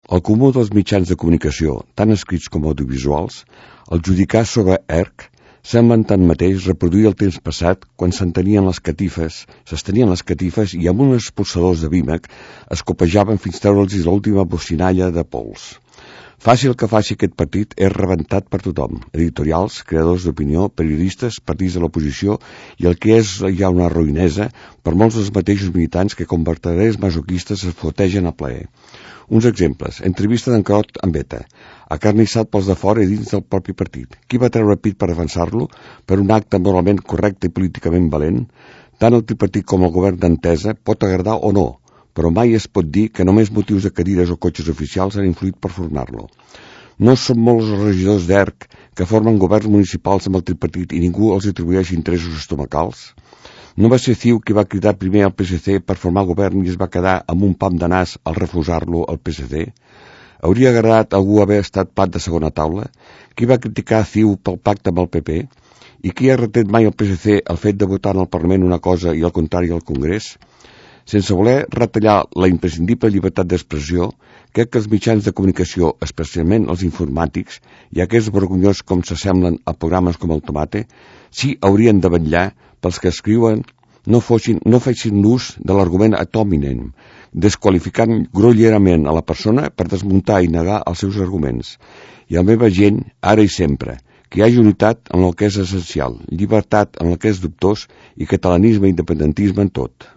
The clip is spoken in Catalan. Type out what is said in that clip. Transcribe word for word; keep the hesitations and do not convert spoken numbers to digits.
El comú dels mitjans de comunicació, tant escrits com audiovisuals, al judicar sobre ERC, semblen tanmateix reproduir el temps passat quan s'entenien les catifes, s'estenien les catifes i amb uns expulsadors de vímec es copejaven fins treure'ls l'última bocinalla de pols. Faci el que faci aquest partit és rebentat per tothom, editorials, creadors d'opinió, periodistes, partits de l'oposició i el que és ja una ruïnesa per molts dels mateixos militants que com vertaders masoquistes es fotegen a plaer. Uns exemples. Entrevista d'en Crot amb Beta. Acarnissat pels de fora i dins del propi partit. Qui va treure pit per defensar-lo? Per un acte moralment correcte i políticament valent? Tant el tripartit com el govern d'Entesa pot agradar o no, però mai es pot dir que només motius de cadires o cotxes oficials han influït per formar-lo. No són molts els regidors d'ERC que formen governs municipals amb el tripartit i ningú els atribueix interessos estomacals? No va ser CiU qui va cridar primer al P S C per formar govern i es va quedar amb un pam de nas al refusar-lo al P S C? Hauria agradat a algú haver estat plat de segona taula? Qui va criticar CiU pel pacte amb el P P? I qui ha retret mai al P S C el fet de votar en el Parlament una cosa i el contrari al Congrés? Sense voler retallar la imprescindible llibertat d'expressió, crec que els mitjans de comunicació, especialment els informàtics, i aquests vergonyós com s'assemblen a programes com el Tomate, sí haurien de vetllar pels que escriuen no, fossin, no fessin l'ús de l'argument ad hominem, desqualificant grollerament a la persona per desmuntar i negar els seus arguments. I a la meva gent, ara i sempre, que hi hagi unitat en el que és essencial, llibertat en el que és dubtós i catalanisme i independentisme en tot.